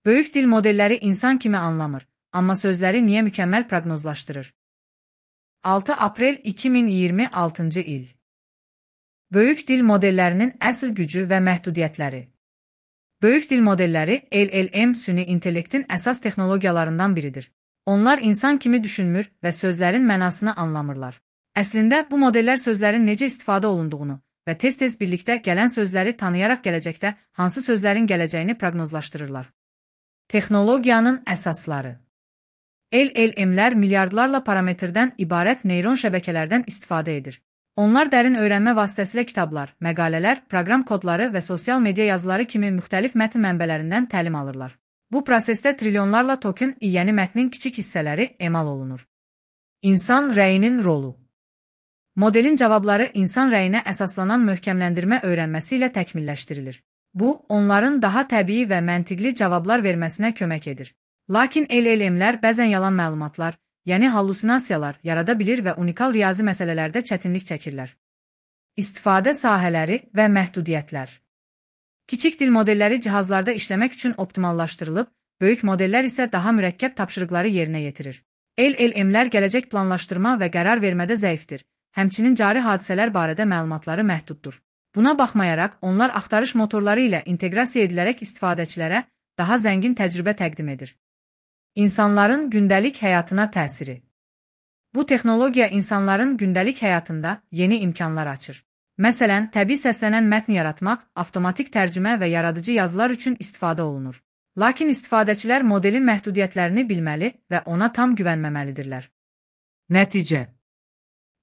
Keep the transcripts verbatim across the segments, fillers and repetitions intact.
Böyük dil modelləri insan kimi anlamır, amma sözləri niyə mükəmməl proqnozlaşdırır? altı aprel iki min iyirmi altıncı il. Böyük dil modellərinin əsl gücü və məhdudiyyətləri. Böyük dil modelləri L L M süni intellektin əsas texnologiyalarından biridir. Onlar insan kimi düşünmür və sözlərin mənasını anlamırlar. Əslində, bu modellər sözlərin necə istifadə olunduğunu və tez-tez birlikdə gələn sözləri tanıyaraq gələcəkdə hansı sözlərin gələcəyini proqnozlaşdırırlar. Texnologiyanın əsasları. L L M-lər milyardlarla parametrdən ibarət neyron şəbəkələrdən istifadə edir. Onlar dərin öyrənmə vasitəsilə kitablar, məqalələr, proqram kodları və sosial media yazıları kimi müxtəlif mətn mənbələrindən təlim alırlar. Bu prosesdə trilyonlarla token yeni mətnin kiçik hissələri emal olunur. İnsan rəyinin rolu. Modelin cavabları insan rəyinə əsaslanan möhkəmləndirmə öyrənməsi ilə təkmilləşdirilir. Bu, onların daha təbii və məntiqli cavablar verməsinə kömək edir. Lakin L L M-lər bəzən yalan məlumatlar, yəni hallusinasiyalar yarada bilir və unikal riyazi məsələlərdə çətinlik çəkirlər. İstifadə sahələri və məhdudiyyətlər. Kiçik dil modelləri cihazlarda işləmək üçün optimallaşdırılıb, böyük modellər isə daha mürəkkəb tapşırıqları yerinə yetirir. L L M-lər gələcək planlaşdırma və qərar vermədə zəifdir, həmçinin cari hadisələr barədə məlumatları məhduddur. Buna baxmayaraq, onlar axtarış motorları ilə inteqrasiya edilərək istifadəçilərə daha zəngin təcrübə təqdim edir. İnsanların gündəlik həyatına təsiri. Bu texnologiya insanların gündəlik həyatında yeni imkanlar açır. Məsələn, təbii səslənən mətn yaratmaq, avtomatik tərcümə və yaradıcı yazılar üçün istifadə olunur. Lakin istifadəçilər modelin məhdudiyyətlərini bilməli və ona tam güvənməməlidirlər. Nəticə.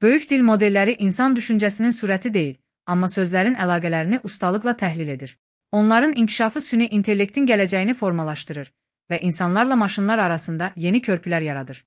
Böyük dil modelləri insan düşüncəsinin sürəti deyil, amma sözlərin əlaqələrini ustalıqla təhlil edir. Onların inkişafı süni intellektin gələcəyini formalaşdırır və insanlarla maşınlar arasında yeni körpülər yaradır.